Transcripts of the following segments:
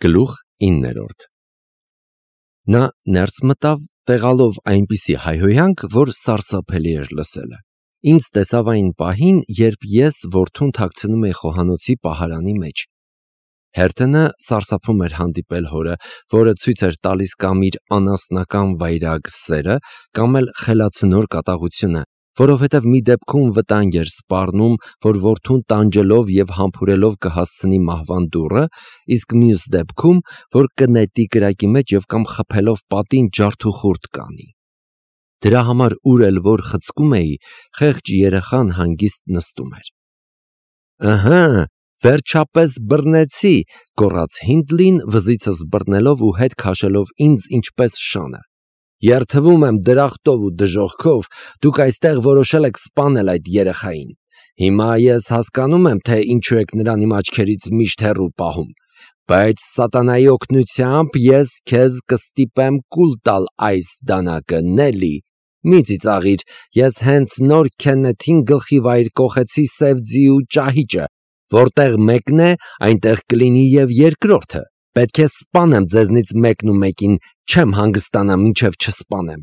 Գլուխ 9 Նա ներս մտավ, տեղալով այնպիսի հայհոյանք, որ սարսափելի էր լսելը։ Ինձ տեսավ այն պահին, երբ ես որդուն թաքցնում էի խոհանոցի պահարանի մեջ։ Հերթենը սարսափում էր հանդիպել հորը, որը ցույց էր տալիս կամ իր անասնական վայրագ սերը, կամ էլ խելացնոր կատաղությունը, որովհետև մի դեպքում վտանգ էր սպառնում, որ որդուն տանջելով և համբուրելով կհասցնի մահվան դուռը, իսկ մյուս դեպքում, որ կնետի կրակի մեջ և կամ խփելով պատին ջարդուխուրդ կանի։ Դրա համար ուր էլ որ խցկում էի, խեղճ երեխան հանգիստ նստում էր։ «Ըհը, վերջապես բռնեցի», գոռաց Հինդլին, վզիցս բռնելով ու հետ քաշելով ինձ ինչպես շանը։ «Երդվում եմ դրախտով ու դժոխքով, դուք այստեղ որոշել եք սպանել այդ երեխային։ Հիմա ես հասկանում եմ, թե ինչու եք նրան իմ աչքերից միշտ հեռու պահում, բայց սատանայի օգնությամբ ես քեզ կստիպեմ կուլ տալ այս դանակը, Նելի։ Մի ծիծաղիր, ես հենց նոր Քեննեթին գլխի վայր կոխեցի սև ձի ու ճահիճը, որտեղ մեկն է, այնտեղ կլինի և երկրորդը։ Պետք է սպանեմ ձեզնից մեկն ու մեկին, չեմ հանգստանա, մինչև չսպանեմ»։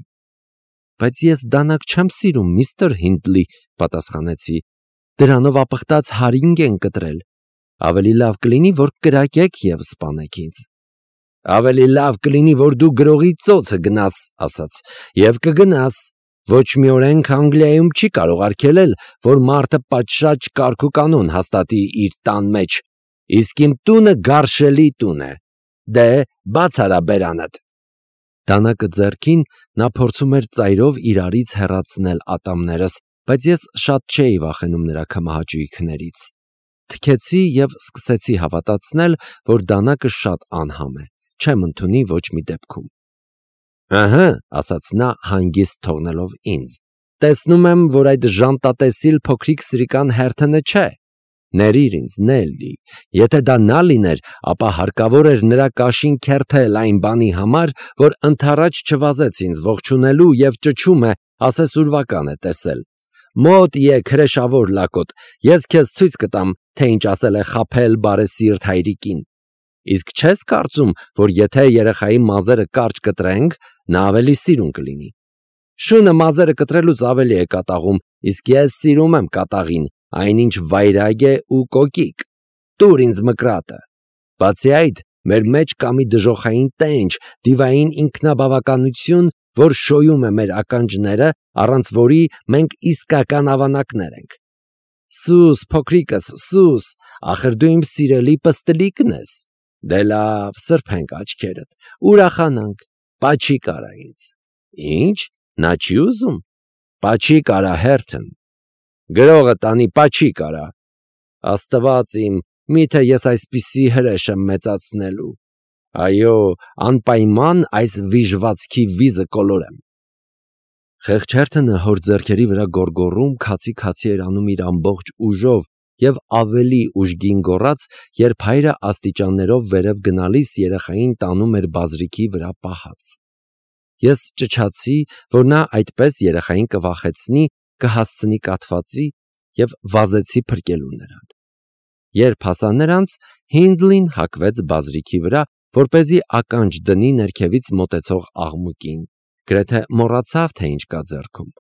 «Բայց ես դանակ չեմ սիրում, միստր Հինդլի», պատասխանեցի։ «Դրանով ապխտած հարինգ են կտրել։ Ավելի լավ կլինի, որ կրակեք և սպանեք ինձ»։ «Ավելի լավ կլինի, որ դու գրողի ծոցը գնաս», ասաց, «և կգնաս։ Ոչ մի օրենք Անգլիայում չի կարող արգելել, որ մարդը պատշաճ կարգ ու կանոն հաստատի իր տան մեջ, իսկ իմ տունը գարշելի տուն է։ Դե, բաց արա բերանդ»։ Դանակը ձեռքին, նա փորձում էր ծայրով իրարից հեռացնել ատամներս, բայց ես շատ չէի վախենում նրա քմահաճույքներից։ Թքեցի և սկսեցի հավատացնել, որ դանակը շատ անհամ է, չեմ ընդունի ոչ մի դեպքում։ «Ըհը», ասաց նա, հանգիստ թողնելով ինձ, «տեսնում եմ, որ այդ ժանտատեսիլ փոքրիկ սրիկան Հերթենը չէ։ Ներիր ինձ, Նելի, եթե դա նա լիներ, ապա հարկավոր էր նրա կաշին քերթել այն բանի համար, որ ընդառաջ չվազեց ինձ ողջունելու և ճչում է, ասես ուրվական է տեսել։ Մոտ եկ, հրեշավոր լակոտ, ես քեզ ցույց կտամ, թե ինչ ասել է խաբել բարեսիրտ հայրիկին։ Իսկ չես կարծում, որ եթե երեխայի մազերը կարճ կտրենք, նա ավելի սիրուն կլինի։ Շունը մազերը կտրելուց ավելի է կատաղում, իսկ ես սիրում եմ կատաղին, այնինչ վայրագ է ու կոկիկ։ Տուր ինձ մկրատը։ Բացի այդ, մեր մեջ կա մի դժոխային տենչ, դիվային ինքնաբավականություն, որ շոյում է մեր ականջները, առանց որի մենք իսկական ավանակներ ենք։ Սուս, փոքրիկս, սուս, ախր դու իմ սիրելի պստլիկն ես։ Դե լավ, սրբենք աչքերդ, ուրախանանք, պաչիկ արա ինձ։ Ինչ, նա չի ուզում։ Պաչիկ արա, Հերթեն։ Գրողը տանի, պաչիկ արա։ Աստված իմ, միթե ես այսպիսի հրեշ եմ մեծացնելու։ Այո, անպայման այս վիժվածքի վիզը կոլորեմ։ Խեղճ Հերթենը հոր ձեռքերի վրա գոռգոռում քացի էր անում իր ամբողջ ուժով և ավելի ուժգին գոռաց, երբ հայրը աստիճաններով վերև գնալիս երեխային տանում էր բազրիքի վրա պահած։ Ես ճչացի, որ նա այդպես երեխային կվախեցնի, կհասցնի կաթվածի և վազեցի փրկելու նրան։ Երբ հասա նրանց, Հինդլին հագվեց բազրիքի վրա, որպեսզի ականջ դնի ներքևից մոտեցող աղմուկին, գրեթե մոռացավ, թե ինչ կա ձեռքում։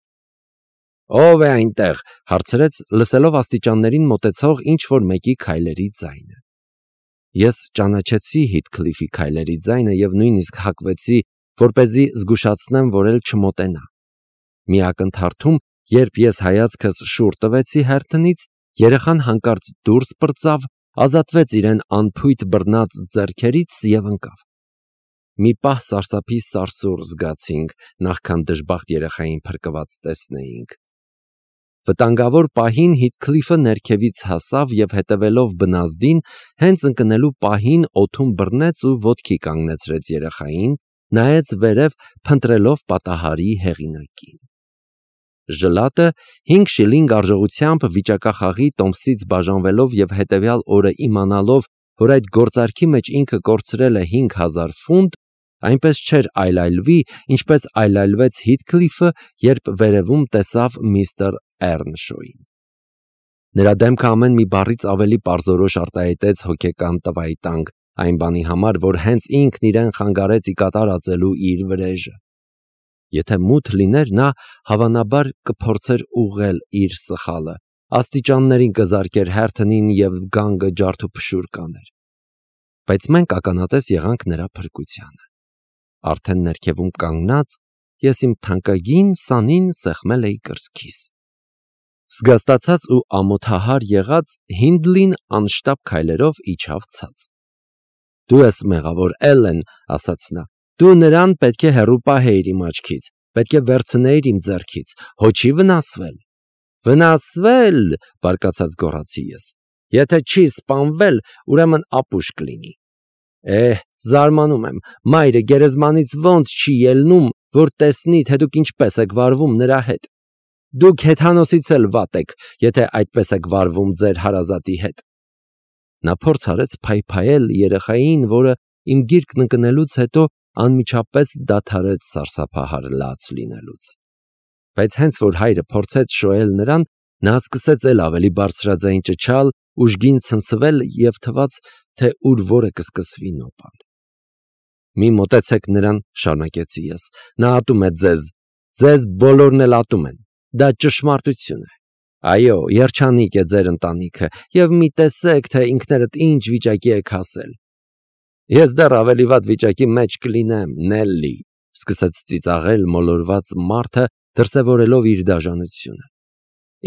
«Ո՞վ է այնտեղ», հարցրեց, լսելով աստիճաններին մոտեցող ինչ-որ մեկի քայլերի ձայնը։ Ես ճանաչեցի Հիթքլիֆի քայլերի ձայնը և նույնիսկ հագվեցի, որպեսզի զգուշացնեմ, որ էլ չմոտենա։ Մի ակնթարթում, երբ ես հայացքս շուռ տվեցի Հերթենից, երեխան հանկարծ դուրս պրծավ, ազատվեց իրեն անփույթ բռնած ձեռքերից և ընկավ։ Մի պահ սարսափի սարսուռ զգացինք, նախքան դժբախտ երեխային փրկված տեսնեինք։ Վտանգավոր պահին Հիթքլիֆը ներքևից հասավ և հետևելով բնազդին, հենց ընկնելու պահին օդում բռնեց ու ոտքի կանգնեցրեց երեխային, նայեց վերև, փնտրելով պատահարի հեղինակին։ Ժլատը 5 շիլինգ արժողությամբ վիճակախաղի տոմսից բաժանվելով և հետևյալ օրը իմանալով, որ այդ գործարքի մեջ ինքը կորցրել է 5000 ֆունտ, այնպես չէր այլայլվի, ինչպես այլայլվեց Հիթքլիֆը, երբ վերևում տեսավ միստր Էռնշոյին։ Նրա դեմքը ամեն մի բառից ավելի պարզորոշ արտահայտեց հոգեկան տվայտանք, այն բանի համար, որ հենց ինքն իրեն խանգարեց ի կատարածելու իր վրեժը։ Եթե մութ լիներ, նա հավանաբար կփորձեր ուղղել իր սխալը, աստիճաններին կզարկեր հերթնին և գանգը ջարդուփշուր կաներ։ Բայց մենք ականատես եղանք նրա փրկությանը։ Արդեն ներքևում կանգնած ես իմ թանկագին սանին սեղմել էի կրծքիս։ Զգաստացած ու ամոթահար եղած Հինդլին անշտապ քայլերով իջավ ցած։ «Դու ես մեղավոր, Էլլեն», ասաց նա։ «Դու նրան պետք է հեռու պահեիր իմ աչքից, պետք է վերցնեիր իմ ձեռքից, հո չի վնասվել»։ «Վնասվել», բարկացած գոռացի ես։ «Եթե չի սպանվել, ուրեմն ապուշ կլինի»։ Զարմանում եմ, մայրը գերեզմանից ոնց չի ելնում, որ տեսնի, թե դուք ինչպես եք վարվում նրա հետ։ Դուք հեթանոսից էլ վատ եք, եթե այդպես եք վարվում ձեր հարազատի հետ։ Նա փորձ արեց փայփայել երեխային, որը իմ գիրկն ընկնելուց հետո անմիջապես դադարեց սարսափահար լաց լինելուց։ Բայց հենց որ հայրը փորձեց շոյել նրան, նա սկսեց էլ ավելի բարձրաձայն ճչալ, ուժգին ցնցվել և թվաց, թե ուր որը կսկսվի նոպան։ «Մի մոտեցեք նրան», շարունակեցի ես, «նա ատում է ձեզ բոլորն էլ ատում են, դա ճշմարտություն է։ Այո, երջանիկ է ձեր ընտանիքը, և մի տեսեք, թե ինքներդ ինչ վիճակի եք հասել»։ «Ես դեռ ավելի վատ վիճակի մեջ կլինեմ, Նելլի», սկսեց ծիծաղել մոլորված մարդը, դրսևորելով իր դաժանությունը։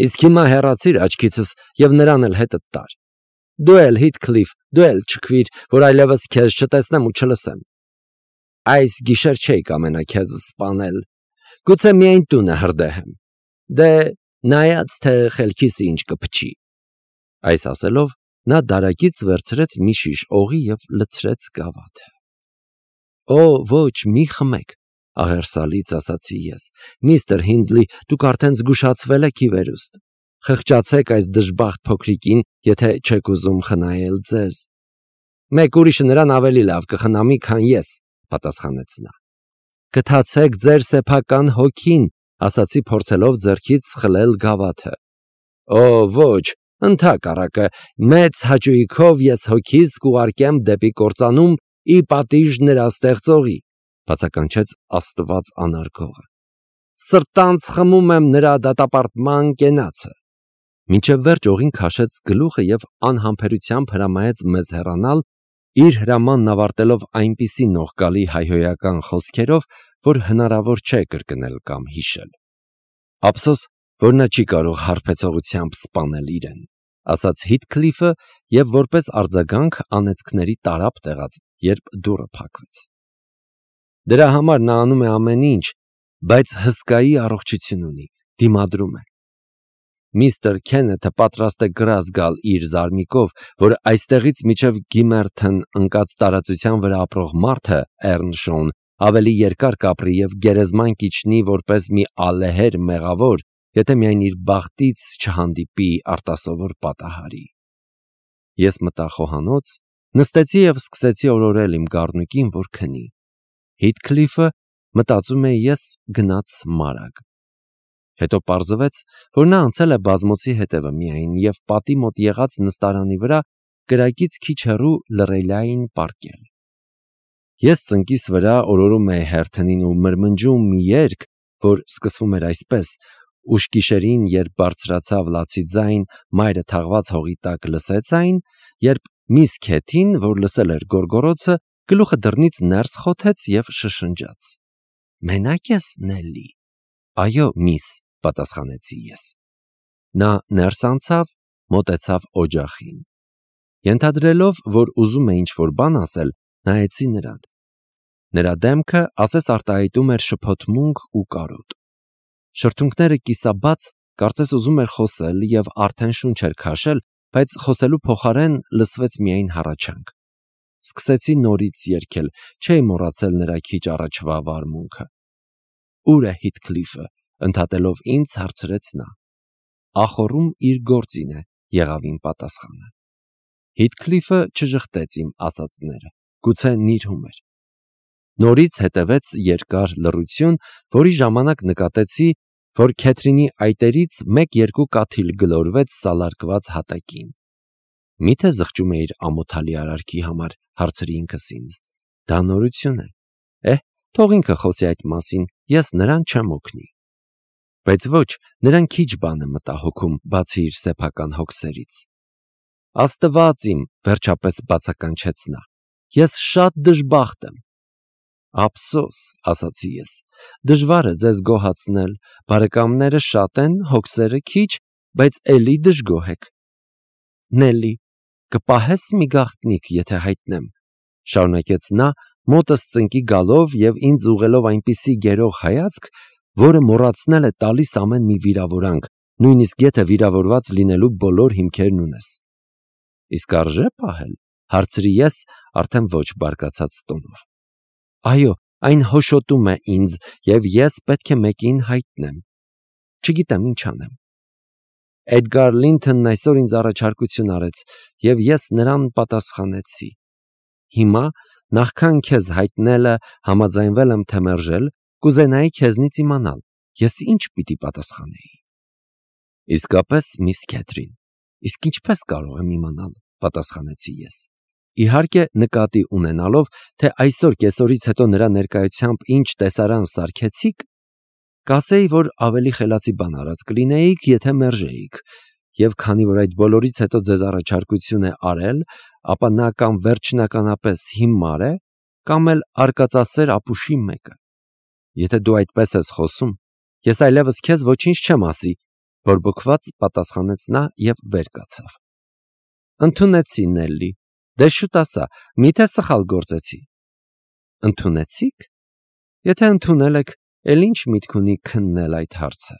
«Իսկ հիմա հեռացիր աչքիցս և նրան էլ հետդ տար։ Դու էլ, Հիթքլիֆ, դու էլ չքվիր, որ այլևս քեզ չտեսնեմ ու չլսեմ։ Այս գիշեր չէի կամենա քեզ սպանել, գուցե միայն տունը հրդեհեմ։ Դե, նայած թե խելքիս ինչ կփչի»։ Այս ասելով նա դարակից վերցրեց մի շիշ օղի և լցրեց գավաթը։ «Օ, ոչ, մի խմեք», ահերսալից ասացի ես։ «Միստր Հինդլի, դուք արդեն զգուշացվել եք ի վերուստ։ Խղճացեք այս դժբախտ փոքրիկին, եթե չեք ուզում խնայել ձեզ»։ «Մեկ ուրիշը նրան ավելի լավ կխնամի, քան ես», պատասխանեց նա։ «Գթացեք ձեր սեփական հոգին», ասացի փորձելով ձեռքից խլել գավաթը։ «Օ, ոչ, ընդհակառակը, մեծ հաճույքով ես հոգիս կուղարկեմ դեպի կործանում ի պատիժ նրա ստեղծողի», բացականչեց Աստված անարգողը։ «Սրտանց խմում եմ նրա դատապարտման կենացը»։ Մինչև վերջ օղին քաշեց գլուխը և անհամբերությամբ հրամայեց մեզ հեռանալ, իր հրամանն ավարտելով այնպիսի նողկալի հայհոյական խոսքերով, որ հնարավոր չէ կրկնել կամ հիշել։ «Ափսոս, որ նա չի կարող հարբեցողությամբ սպանել իրեն», ասաց Հիթքլիֆը և որպես արձագանք անեծքների տարափ տեղաց, երբ դուռը փակվեց։ «Դրա համար նա անում է ամեն ինչ, բայց հսկայի առողջություն ունի, դիմադրում է։ Միստր Քենեթը պատրաստ է գրազ գալ իր զարմիկով, որ այստեղից մինչև Գիմերթն ընկած տարածության վրա ապրող մարդը, Էռնշոուն, ավելի երկար կապրի և գերեզման կիջնի որպես մի ալեհեր մեղավոր, եթե միայն իր բախտից չհանդիպի արտասովոր պատահարի»։ Ես մտա խոհանոց, նստեցի և սկսեցի օրորել իմ գառնուկին, որ քնի։ Հիթքլիֆը, մտածում էի ես, գնաց մարագ։ Հետո պարզվեց, որ նա անցել է բազմոցի հետևը միայն և պատի մոտ եղած նստարանի վրա կրակից քիչ հեռու լռելային պառկել։ Ես ծնկիս վրա օրորում էի հերթնին ու մրմնջում մի երգ, որ սկսվում էր այսպես. «Ուշ գիշերին, երբ բարձրացավ լացի ձայն, մայրը թաղված հողի տակ լսեց այն, երբ միս Քեթին, որ լսել էր գոռգոռոցը, գլուխը դռնից ներս խոթեց և շշնջաց. «Մենակ ես, Նելլի»։ «Այո, միս», պատասխանեցի ես։ Նա ներս անցավ, մոտեցավ օջախին։ Ենթադրելով, որ ուզում է ինչ-որ բան ասել, նայեցի նրան։ Նրա դեմքը ասես արտահայտում էր շփոթմունք ու կարոտ։ Շրթունքները կիսաբաց, կարծես ուզում էր խոսել և արդեն շունչ էր քաշել, բայց խոսելու փոխարեն լսվեց միայն հառաչանք։ Սկսեցի նորից երգել, չէի մոռացել նրա քիչ առաջվա վարմունքը։ «Ո՞ւր է Հիթքլիֆը», ընդհատելով ինձ հարցրեց նա։ «Ախոռում իր գործին է», եղավ իմ պատասխանը։ Հիթքլիֆը չժխտեց իմ ասածները, գուցե նիրհում էր։ Նորից հետևեց երկար լռություն, որի ժամանակ նկատեցի, որ Քեթրինի այտերից մեկ-երկու կաթիլ գլորվեց սալարկված հատակին։ Միթե զղջում էիր ամոթալի արարքի համար, հարցրի ինքս ինձ։ Դա նորություն է։ Թող ինքը խոսի այդ մասին, ես նրան չեմ օգնի։ Բայց ոչ, նրան քիչ բան է մտահոգում, բացի իր սեփական հոգսերից։ Աստված իմ, վերջապես բացականչեց նա։ Ես շատ դժբախտ եմ։ Ափսոս, ասացի ես, դժվար է ձեզ գոհացնել, բարեկամները շատ են, հոգսերը քիչ, բայց էլի դժգոհ եք։ Նելի, կպահես մի գաղտնիք, եթե հայտնեմ, շարունակեց նա, մոտս ծնկի գալով և ինձ ուղղելով այնպիսի գերող հայացք, որը մոռացնել է տալիս ամեն մի վիրավորանք, նույնիսկ եթե վիրավորված լինելու բոլոր հիմքերն ունես։ Իսկ արժե պահել, հարցրի ես, արդեն ոչ բարկացած տոնով։ Այո, այն հոշոտում է ինձ, և ես պետք է մեկին հայտնեմ։ Չգիտեմ ինչ անեմ։ Էդգար Լինթոնն այսօր ինձ առաջարկություն արեց, և ես նրան պատասխանեցի։ Հիմա, նախքան քեզ հայտնելը համաձայնվել եմ թե մերժել, կուզենայի քեզնից իմանալ, ես ինչ պիտի պատասխանեի։ Իսկապես, միս Քեթրին, իսկ ինչպես կարող եմ իմանալ, պատասխանեցի ես։ Իհարկե, նկատի ունենալով, թե այսօր կեսօրից հետո նրա ներկայությամբ ինչ տեսարան սարքեցիք, կասեի, որ ավելի խելացի բան արած կլինեիք, եթե մերժեիք, և քանի որ այդ բոլորից հետո ձեզ առաջարկություն է արել, ապա նա կամ վերջնականապես հիմար է, կամ էլ արկածասեր ապուշի մեկը։ Եթե դու այդպես ես խոսում, ես այլևս քեզ ոչինչ չեմ ասի, բորբոքված պատասխանեց նա և վեր կացավ։ Ընդունեցի, Նելլի, դե շուտ ասա, միթե սխալ գործեցի։ Ընդունեցիք։ Եթե ընդունել եք, էլ ինչ միտք ունի քննել այդ հարցը։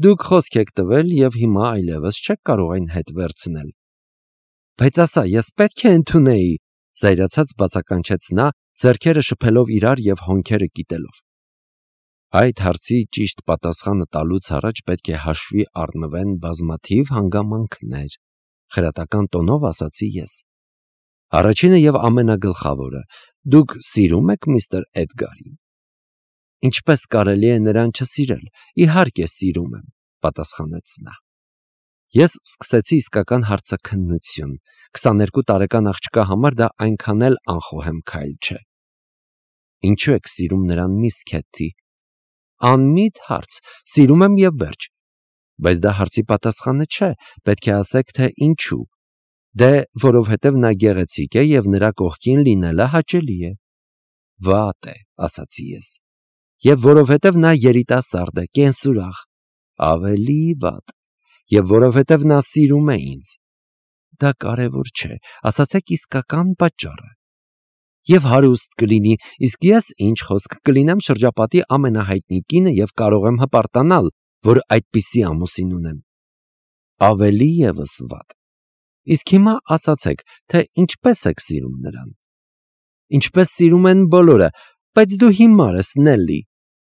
Դուք խոսք եք տվել և հիմա այլևս չեք կարող այն հետ վերցնել։ Բայց ասա, ես պետք է ընդունեի, զայրացած բացականչեց նա, ձեռքերը շփելով իրար և հոնքերը կիտելով։ Այդ հարցի ճիշտ պատասխանը տալուց առաջ պետք է հաշվի առնվեն բազմաթիվ հանգամանքներ, խրատական տոնով ասացի ես։ Առաջինը և ամենագլխավորը, դուք սիրում եք միստր Էդգարին։ Ինչպես կարելի է նրան չսիրել, իհարկե սիրում եմ, պատասխանեց նա։ Ես սկսեցի իսկական հարցաքննություն, 22 տարեկան աղջկա համար դա այնքան էլ անխոհեմ քայլ չէ։ Ինչու եք սիրում նրան, միս Քեթի։ Անմիտ հարց, սիրում եմ և վերջ։ Բայց դա հարցի պատասխանը չէ, պետք է ասեք, թե ինչու։ Դե, որովհետև նա գեղեցիկ է և նրա կողքին լինելը հաճելի է։ Վատ է, ասացի ես։ Եվ որովհետև նա երիտասարդ է, կենսուրախ, ավելի վատ, և որովհետև նա սիրում է ինձ։ Դա կարևոր չէ, ասացեք իսկական պատճառը։ Եվ հարուստ կլինի, իսկ ես ինչ խոսք կլինեմ շրջապատի ամենահայտնի կինը և կարող եմ հպարտանալ, որ այդպիսի ամուսին ունեմ։ Ավելի ևս վատ։ Իսկ հիմա ասացեք, թե ինչպես եք սիրում նրան։ Ինչպես սիրում են բոլորը, բայց դու հիմար ես, Նելլի,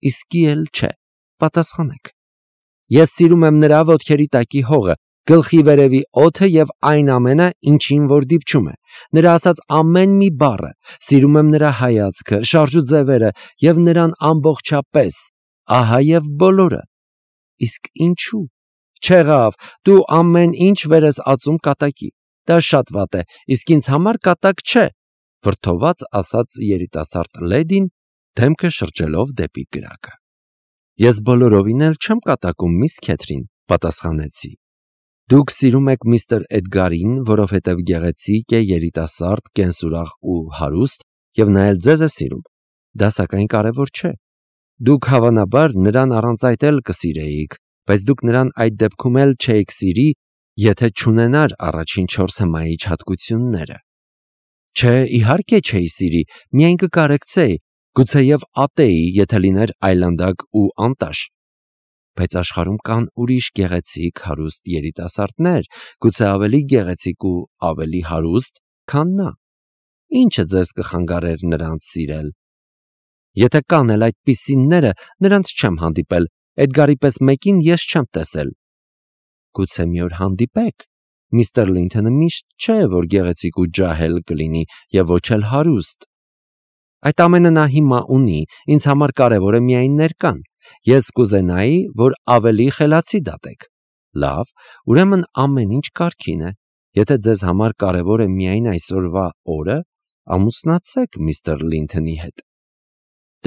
իսկի էլ չէ, պատասխանեք։ Ես սիրում եմ նրա ոտքերի տակի հողը, գլխի վերևի օդը և այն ամենը, ինչին որ դիպչում է, նրա ասած ամեն մի բառը, սիրում եմ նրա հայացքը, շարժուձևերը և նրան ամբողջապես, ահա և բոլորը։ Իսկ ինչու։ Չեղավ, դու ամեն ինչ վեր ես ածում կատակի, դա շատ վատ է, իսկ ինձ համար կատակ չէ, վրդոված ասաց երիտասարդ լեդին, դեմքը շրջելով դեպի կրակը։ Ես բոլորովին էլ չեմ կատակում, միս Քեթրին, պատասխանեցի։ Դուք սիրում եք միստր Էդգարին, որովհետև գեղեցիկ է, երիտասարդ, կենսուրախ ու հարուստ, և նա էլ ձեզ է սիրում։ Դա սակայն կարևոր չէ։ Դուք հավանաբար նրան առանց այդ էլ կսիրեիք, բայց դուք նրան այդ դեպքում էլ չէիք սիրի, եթե չունենար առաջին 4 հմայիչ հատկությունները։ Չէ, իհարկե չէի սիրի, միայն կկարեկցեի, գուցեև ատեի, եթե լիներ այլանդակ ու անտաշ։ Բայց աշխարհում կան ուրիշ գեղեցիկ, հարուստ երիտասարդներ, գուցե ավելի գեղեցիկ ու ավելի հարուստ, քան նա։ Ինչը ձեզ կխանգարեր նրանց սիրել։ Եթե կան էլ այդպիսինները, նրանց չեմ հանդիպել, Էդգարի պես մեկին ես չեմ տեսել։ Գուցե մի օր հանդիպեք։ Միստր Լինթոնը միշտ չէ, որ գեղեցիկ ու ջահել կլինի և ոչ էլ հարուստ։ Այդ ամենը նա հիմա ունի, ինձ համար կարևոր է միայն ներկան։ Ես կուզենայի, որ ավելի խելացի դատեք։ Լավ, ուրեմն ամեն ինչ կարգին է։ Եթե ձեզ համար կարևոր է միայն այսօրվա օրը, ամուսնացեք միստր Լինթոնի հետ։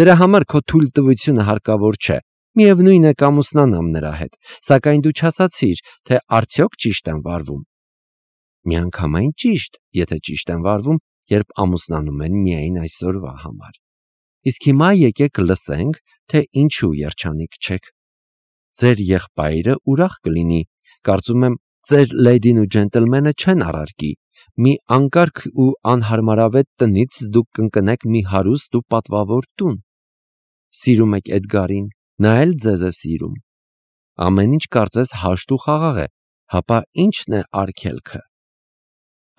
Դրա համար քո թույլտվությունը հարկավոր չէ։ Միևնույն է կամուսնանամ նրա հետ, սակայն դու չասացիր, թե արդյոք ճիշտ եմ վարվում։ Միանգամայն ճիշտ, եթե ճիշտ են վարվում, երբ ամուսնանում են միայն այսօրվա համար։ Իսկ հիմա եկեք լսենք, թե ինչու երջանիկ չեք։ Ձեր եղբայրը ուրախ կլինի, կարծում եմ, ձեր լեյդին ու ջենտլմենը չեն առարկի։ Մի անկարգ ու անհարմարավետ տնից դուք կընկնեք մի հարուստ ու պատվավոր տուն։ Սիրում եք Էդգարին, նա էլ ձեզ է սիրում։ Ամեն ինչ կարծես հաշտ ու խաղաղ է, հապա ի՞նչն է արգելքը։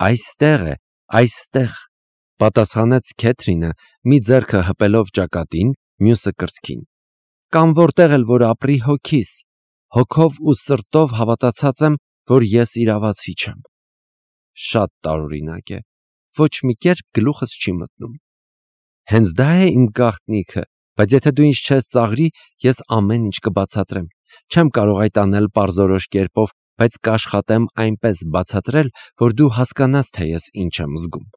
Այստեղ է, այստեղ, պատասխանեց Քեթրինը, մի ձեռքը հպելով ճակատին, մյուսը կրծքին։ Կամ որտեղ էլ որ ապրի հոգիս, հոգով ու սրտով հավատացած եմ, որ ես իրավացի չեմ։ Շատ տարօրինակ է, ոչ մի կերպ գլուխս չի մտնում։ Հենց դա է իմ գաղտնիքը, բայց եթե դու ինձ չես ծաղրի, ես ամեն ինչ կբացատրեմ։ Չեմ կարող այդ անել պարզորոշ կերպով, բայց կաշխատեմ այնպես բացատրել, որ դու հասկանաս, թե ես ինչ եմ զգում։